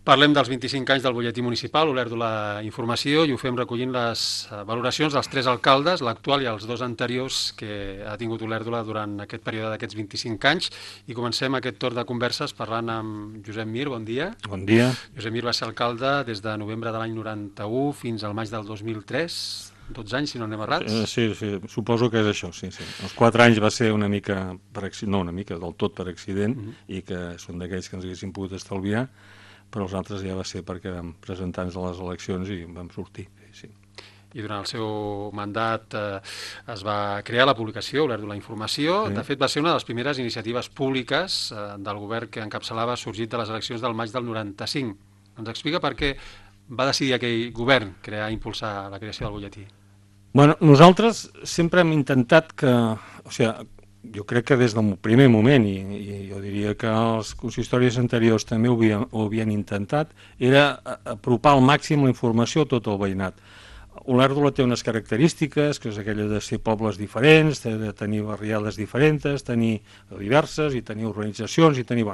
Parlem dels 25 anys del butlletí municipal, Olèrdola Informació, i ho fem recollint les valoracions dels 3 alcaldes, l'actual i els 2 anteriors que ha tingut Olèrdola durant aquest període d'aquests 25 anys. I comencem aquest torn de converses parlant amb Josep Mir. Bon dia. Bon dia. Josep Mir va ser alcalde des de novembre de l'any 91 fins al maig del 2003. 12 anys, si no anem errats. Sí, suposo que és això, sí. Els 4 anys va ser una mica, del tot per accident, i que són d'aquells que ens haguéssim pogut estalviar, però els altres ja va ser perquè vam presentar-nos a les eleccions i vam sortir, sí. I durant el seu mandat es va crear la publicació Olèrdola Informació. Sí. De fet, va ser una de les primeres iniciatives públiques del govern que encapçalava sorgit de les eleccions del maig del 95. Ens explica per què va decidir aquell govern impulsar la creació del butlletí? Bueno, nosaltres sempre hem intentat que, jo crec que des del primer moment, i jo diria que els consistoris anteriors també ho havien intentat, era apropar al màxim la informació a tot el veïnat. Olèrdola té unes característiques, que és aquella de ser pobles diferents, de tenir barriades diferents, tenir diverses, i tenir organitzacions, i tenir,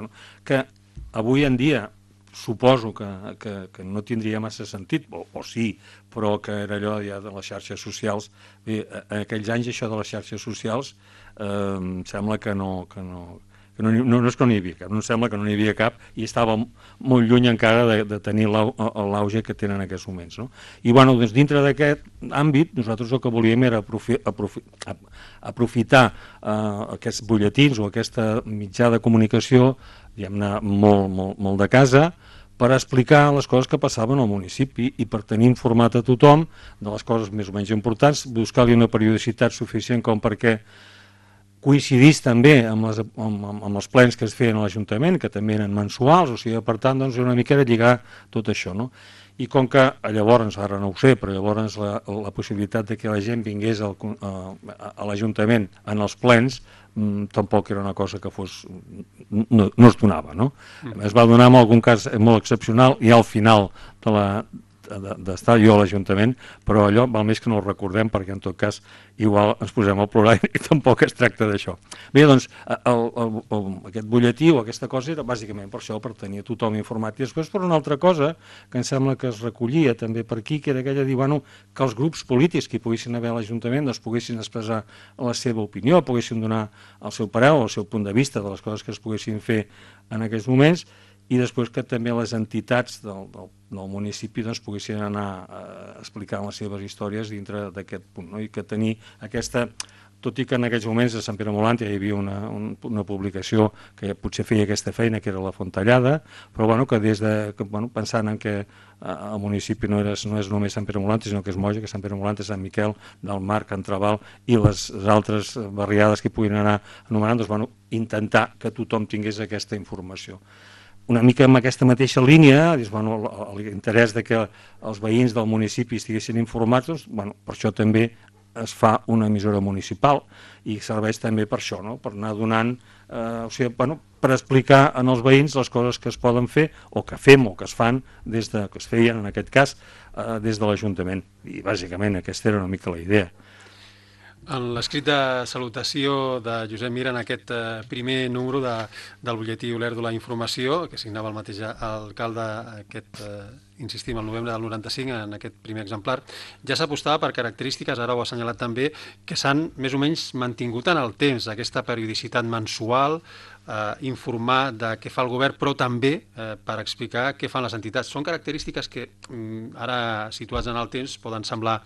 que avui en dia suposo que no tindria massa sentit, o sí, però que era allò ja de les xarxes socials. Bé, en aquells anys això de les xarxes socials em sembla que no és que no n'hi havia cap, no em sembla que no n'hi havia cap, i estava molt lluny encara de tenir l'auge que tenen en aquests moments, no? I doncs, dintre d'aquest àmbit nosaltres el que volíem era aprofitar aquests butlletins o aquesta mitjà de comunicació, diguem-ne, molt de casa, per explicar les coses que passaven al municipi i per tenir informat a tothom de les coses més o menys importants, buscar-li una periodicitat suficient com perquè coincidís també amb els plens que es feien a l'Ajuntament, que també eren mensuals, o sigui, per tant, doncs, una mica de lligar tot això, no? I com que llavors, ara no ho sé, però llavors la possibilitat de que la gent vingués a l'Ajuntament en els plens tampoc era una cosa que no es donava, no? Es va donar en algun cas molt excepcional i al final d'estar jo a l'Ajuntament, però allò val més que no ho recordem, perquè en tot cas igual ens posem al plorar i tampoc es tracta d'això. Bé, doncs aquest butlletí o aquesta cosa era bàsicament per això, per tenir tothom informat, i després per una altra cosa que em sembla que es recollia també per aquí, que era aquella de dir, que els grups polítics que hi poguessin haver a l'Ajuntament doncs poguessin expressar la seva opinió, poguessin donar el seu parer o el seu punt de vista de les coses que es poguessin fer en aquests moments, i després que també les entitats del municipi doncs, poguessin anar explicant les seves històries dintre d'aquest punt, no? I que tenir aquesta, tot i que en aquells moments a Sant Pere Molant ja hi havia una publicació que potser feia aquesta feina, que era la Fontellada, però que pensant en que el municipi no és només Sant Pere Molant, sinó que és Moja, que Sant Pere Molant és Sant Miquel, del Mar, Can Trabal i les altres barriades que hi puguin anar anomenant, doncs, intentar que tothom tingués aquesta informació. Una mica amb aquesta mateixa línia, l'interès que els veïns del municipi estiguessin informats, doncs, per això també es fa una emissora municipal i serveix també per això, no? Per anar donant, per explicar als veïns les coses que es poden fer o que fem o que es fan que es feien en aquest cas des de l'Ajuntament, i bàsicament aquesta era una mica la idea. En l'escrit de salutació de Josep Mir en aquest primer número del butlletí Olèrdola Informació, que signava el mateix alcalde insistim, el novembre del 95, en aquest primer exemplar, ja s'apostava per característiques, ara ho ha assenyalat també, que s'han més o menys mantingut en el temps, aquesta periodicitat mensual, informar de què fa el govern, però també per explicar què fan les entitats. Són característiques que ara, situats en el temps, poden semblar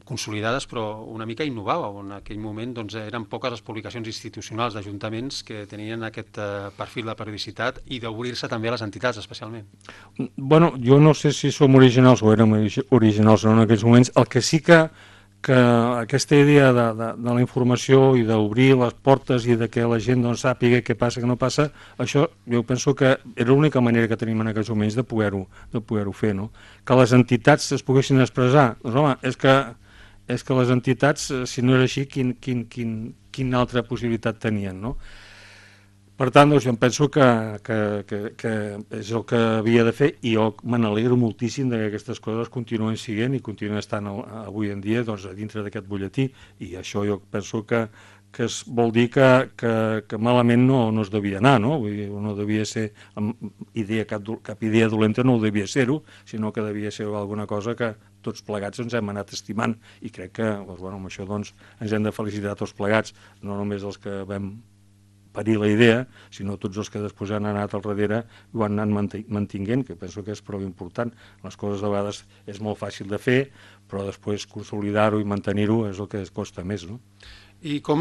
consolidades, però una mica innovava. En aquell moment eren poques les publicacions institucionals d'ajuntaments que tenien aquest perfil de periodicitat i d'obrir-se també a les entitats, especialment. Jo no sé si som originals o érem originals en aquells moments. El que sí que aquesta idea de la informació i d'obrir les portes i de que la gent sàpiga què passa, què no passa, això jo penso que era l'única manera que tenim en aquests moments de poder-ho fer, no? Que les entitats es poguessin expressar. Doncs home, és que les entitats, si no era així, quina altra possibilitat tenien, no? Per tant, jo em penso que és el que havia de fer, i jo me n'alegro moltíssim que aquestes coses continuen sent i continuen estant avui en dia dintre d'aquest butlletí, i això jo penso que que vol dir que malament no es devia anar, no? Vull dir, no devia ser cap idea dolenta, no ho devia ser-ho, sinó que devia ser alguna cosa que tots plegats ens hem anat estimant, i crec que amb això ens hem de felicitar tots plegats, no només els que vam parir la idea, sinó tots els que després han anat al darrere i ho han anat mantinguent, que penso que és prou important. Les coses de vegades és molt fàcil de fer, però després consolidar-ho i mantenir-ho és el que costa més, no? I com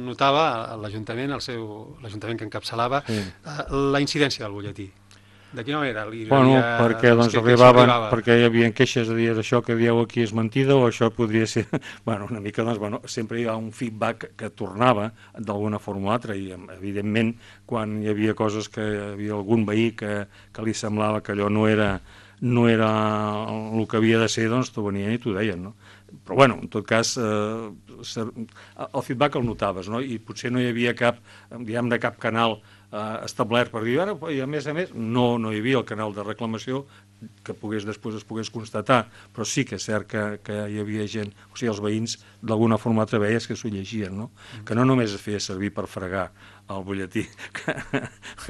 notava l'Ajuntament, l'Ajuntament que encapçalava, la incidència del butlletí? De quina manera? Perquè perquè hi havia queixes de dir això que dieu aquí és mentida o això podria ser... una mica, sempre hi ha un feedback que tornava d'alguna forma o altra, i evidentment quan hi havia coses que hi havia algun veí que li semblava que allò no era el que havia de ser, doncs t'ho venien i t'ho deien, no? Però en tot cas el feedback el notaves, no? I potser no hi havia cap canal establert per dir, i a més no hi havia el canal de reclamació que després es pogués constatar, però sí que és cert que hi havia gent, o sigui, els veïns d'alguna forma veies que s'ho llegien, no? Que no només es feia servir per fregar el butlletí, que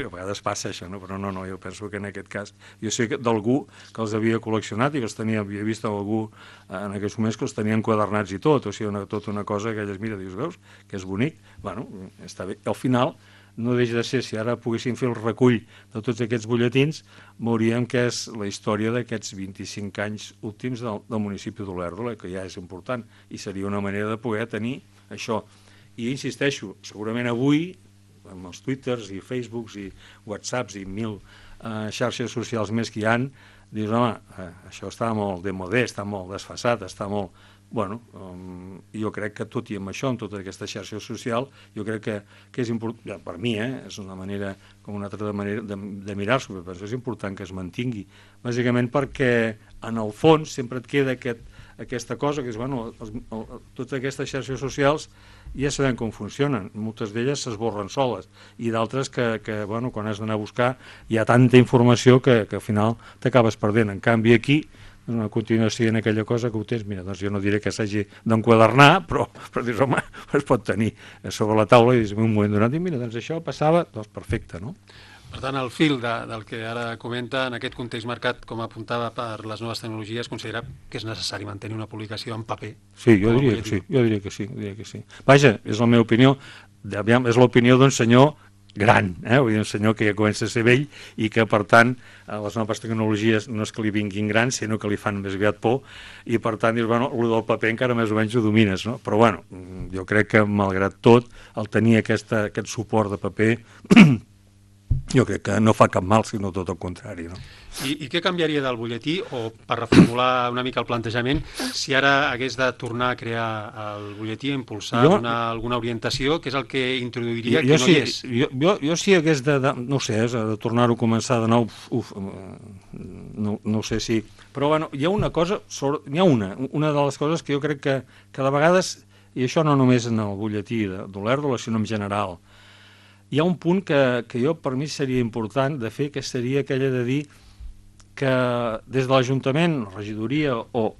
a vegades passa això, no? Però no, jo penso que en aquest cas, jo sé d'algú que els havia col·leccionat i que havia vist algú en aquests moments que els tenien enquadernats i tot, o sigui, tota una cosa que elles, mira, dius, veus, que és bonic, està bé. Al final, no deixa de ser, si ara poguéssim fer el recull de tots aquests butlletins, veuríem que és la història d'aquests 25 anys últims del municipi d'Olèrdola, que ja és important, i seria una manera de poder tenir això. I insisteixo, segurament avui, amb els Twitters i Facebooks i Whatsapps i 1000 xarxes socials més que hi ha, dius, això està molt demodé, està molt desfasat, està molt... jo crec que tot i amb això, amb tota aquesta xarxa social, jo crec que és important, per mi, és una manera, com una altra manera de mirar-s'ho, però és important que es mantingui, bàsicament perquè en el fons sempre et queda aquesta cosa, que és, totes aquestes xarxes socials ja sabem com funcionen, moltes d'elles s'esborren soles, i d'altres que quan has d'anar a buscar hi ha tanta informació que al final t'acabes perdent. En canvi aquí una continuació en aquella cosa que ho tens, mira, doncs jo no diré que s'hagi d'enquadernar, però dius, home, es pot tenir sobre la taula i dius, en un moment donat, i mira, doncs això passava, doncs perfecte, no? Per tant, el fil del que ara comenta, en aquest context marcat, com apuntava per les noves tecnologies, considera que és necessari mantenir una publicació en paper? Sí, jo diria que sí. Vaja, és la meva opinió, és l'opinió d'un senyor gran, vull dir, un senyor que ja comença a ser vell i que, per tant, les noves tecnologies no és que li vinguin grans, sinó que li fan més aviat por, i per tant, dius, el del paper encara més o menys ho domines, no? Però, jo crec que, malgrat tot, el tenir aquest suport de paper, jo crec que no fa cap mal, sinó tot el contrari, no? I què canviaria del butlletí, o per reformular una mica el plantejament, si ara hagués de tornar a crear el butlletí, a impulsar, donar alguna orientació, que és el que introduiria que no hi és? Jo si hagués no sé, de tornar-ho a començar de nou, no sé si... Però hi ha una cosa, una de les coses que jo crec que de vegades, i això no només en el butlletí d'Olèrdola, sinó en general, hi ha un punt que jo per mi seria important de fer, que seria aquella de dir que des de l'Ajuntament, regidoria o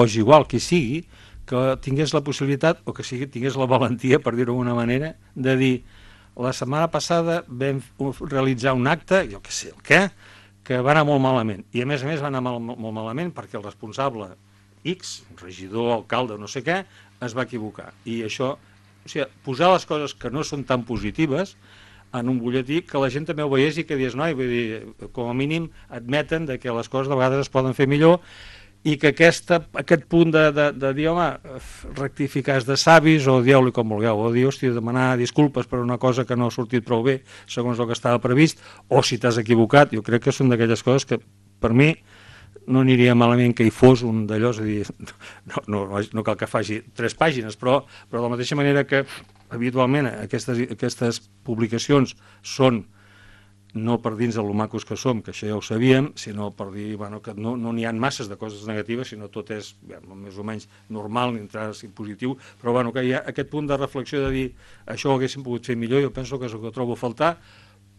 és igual qui sigui, que tingués la possibilitat o que tingués la valentia, per dir-ho d'alguna manera, de dir la setmana passada vam realitzar un acte, jo què sé el què, que va anar molt malament. I a més va anar molt malament perquè el responsable X, regidor, alcalde, no sé què, es va equivocar. I això, o sigui, posar les coses que no són tan positives en un butlletí, que la gent també ho veiés i que dius, vull dir, com a mínim admeten que les coses de vegades es poden fer millor i que aquest punt de dir, home, rectificar és de savis, o dieu-li com vulgueu, o dir, hòstia, demanar disculpes per una cosa que no ha sortit prou bé segons el que estava previst, o si t'has equivocat, jo crec que són d'aquelles coses que per mi no aniria malament que hi fos un d'allò, és a dir, no cal que faci 3 pàgines, però de la mateixa manera que habitualment aquestes publicacions són no per dins de lo macos que som, que això ja ho sabíem, sinó per dir que no n'hi ha masses de coses negatives, sinó tot és més o menys normal, entrar-hi positiu, però que hi ha aquest punt de reflexió de dir això ho haguéssim pogut fer millor, jo penso que és el que trobo a faltar,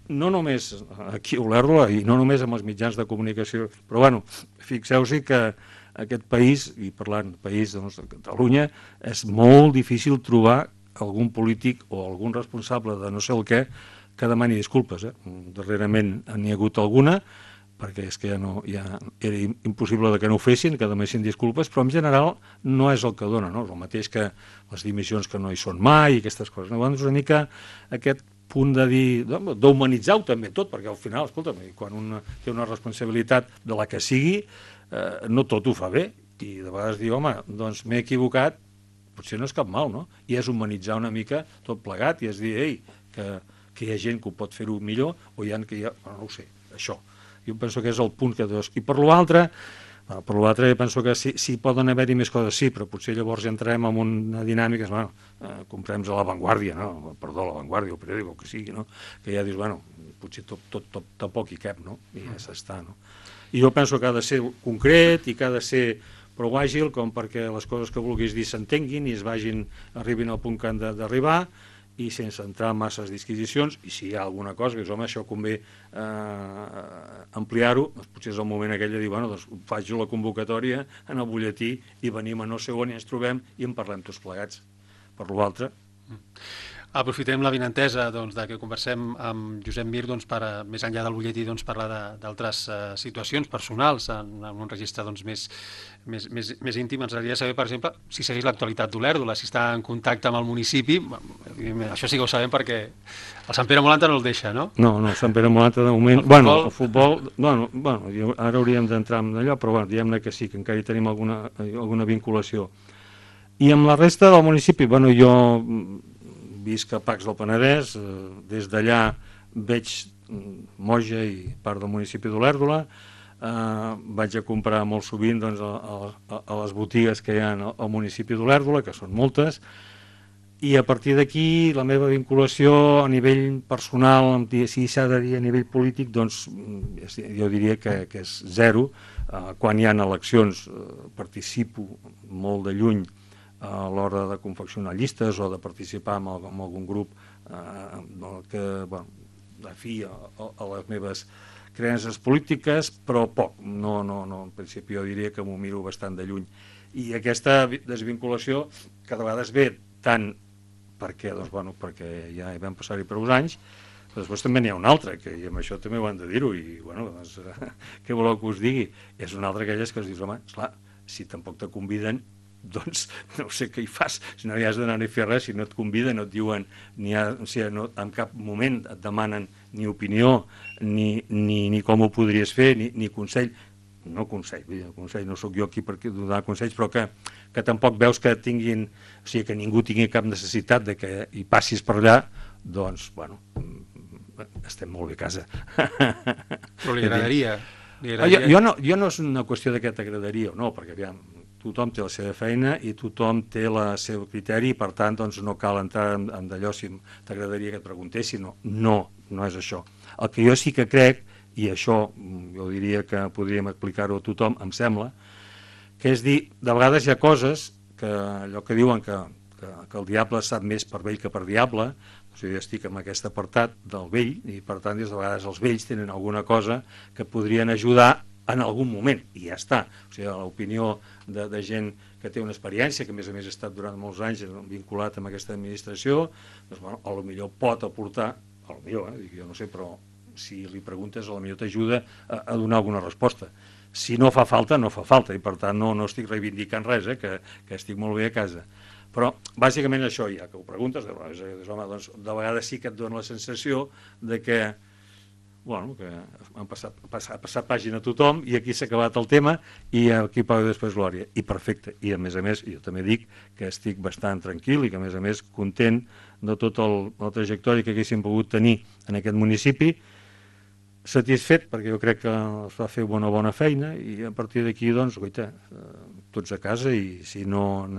no només aquí a Olèrdola i no només amb els mitjans de comunicació, però fixeu-s'hi que aquest país, i parlant país de Catalunya, és molt difícil trobar algun polític o algun responsable de no sé el què que demani disculpes. Darrerament n'hi ha hagut alguna, perquè és que ja era impossible que no ho fessin, que demanessin disculpes, però en general no és el que dona, no? És el mateix que les dimissions que no hi són mai i aquestes coses. Llavors una mica aquest punt de dir, d'humanitzar-ho també tot, perquè al final, escolta'm, quan un té una responsabilitat de la que sigui, no tot ho fa bé, i de vegades dir, home, doncs m'he equivocat, potser no és cap mal, no? I és humanitzar una mica tot plegat, i és dir, ei, que hi ha gent que ho pot fer-ho millor, o hi ha que no ho sé, això. Jo penso que és el punt que... I per l'altre, penso que sí poden haver-hi més coses, sí, però potser llavors entrem en una dinàmica, comprem a La Vanguardia, no? Perdó, La Vanguardia, el periòdic, el que sigui, no? Que ja dius, potser tot tampoc hi cap, no? I ja s'està, no? I jo penso que ha de ser concret i que ha de ser prou àgil com perquè les coses que vulguis dir s'entenguin i arribin al punt que han d'arribar, i sense entrar en masses disquisicions, i si hi ha alguna cosa que dius, home, això convé ampliar-ho, doncs potser és el moment aquell de dir, doncs faig la convocatòria en el butlletí i venim a no sé on i ens trobem i en parlem tots plegats. Per l'altre... Aprofitem l'avinentesa que conversem amb Josep Mir per, més enllà del butlletí, parlar d'altres situacions personals en un registre més íntim. Ens agradaria saber, per exemple, si segueix l'actualitat d'Olèrdola, si està en contacte amb el municipi. Això sí que ho sabem perquè el Sant Pere Molanta no el deixa, no? No, Sant Pere Molanta de moment... El futbol... Ara hauríem d'entrar en allò, però diguem-ne que sí, que encara hi tenim alguna vinculació. I amb la resta del municipi, jo... visc a Pacs del Penedès, des d'allà veig Moja i part del municipi d'Olèrdola, vaig a comprar molt sovint a les botigues que hi ha al municipi d'Olèrdola, que són moltes, i a partir d'aquí la meva vinculació a nivell personal, si s'ha de dir a nivell polític, doncs jo diria que és zero. Quan hi ha eleccions participo molt de lluny a l'hora de confeccionar llistes o de participar en algun grup que afí a les meves creences polítiques, però poc. En principi jo diria que m'ho miro bastant de lluny. I aquesta desvinculació cada vegada ve tant perquè ja hi vam passar-hi per uns anys, però després també n'hi ha una altra, i amb això també ho han de dir-ho, i què voleu que us digui? És una altra d'aquelles que es dius, home, esclar, si tampoc te conviden, doncs no sé què hi fas, si no hi has d'anar a fer res, si no et conviden, no et diuen, en cap moment et demanen ni opinió, ni com ho podries fer, ni consell. No consell, no sóc jo aquí per donar consells, però que tampoc veus que tinguin, o sigui, que ningú tingui cap necessitat de que hi passis per allà, doncs, estem molt bé a casa. Però li agradaria? Jo no és una qüestió de què t'agradaria o no, perquè aviam, tothom té la seva feina i tothom té el seu criteri i per tant no cal entrar en d'allò si t'agradaria que et preguntessin. No és això. El que jo sí que crec, i això jo diria que podríem explicar-ho a tothom, em sembla, que és dir, de vegades hi ha coses que allò que diuen que el diable sap més per vell que per diable, jo estic en aquest apartat del vell i per tant de vegades els vells tenen alguna cosa que podrien ajudar en algun moment, i ja està. O sigui, l'opinió de gent que té una experiència, que a més ha estat durant molts anys vinculat amb aquesta administració, doncs, potser pot aportar, jo no sé, però si li preguntes, potser t'ajuda a donar alguna resposta. Si no fa falta, no fa falta, i per tant no estic reivindicant res, que estic molt bé a casa. Però, bàsicament, això, ja que ho preguntes, doncs, de vegades sí que et dona la sensació de que que han passat pàgina a tothom i aquí s'ha acabat el tema i aquí paga després glòria. I perfecte. I a més, jo també dic que estic bastant tranquil i que a més content de tota la trajectòria que haguéssim pogut tenir en aquest municipi, satisfet perquè jo crec que es va fer una bona feina i a partir d'aquí, doncs, tots a casa i si no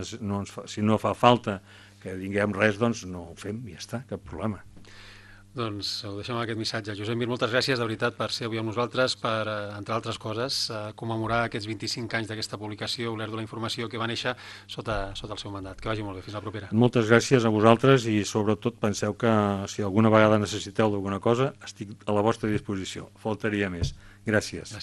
fa falta que tinguem res, doncs no ho fem i ja està, cap problema. Doncs ho deixem amb aquest missatge. Josep Mir, moltes gràcies de veritat per ser avui amb nosaltres, per, entre altres coses, commemorar aquests 25 anys d'aquesta publicació, Olèrdola Informació, que va néixer sota el seu mandat. Que vagi molt bé, fins la propera. Moltes gràcies a vosaltres i sobretot penseu que si alguna vegada necessiteu d'alguna cosa estic a la vostra disposició. Faltaria més. Gràcies.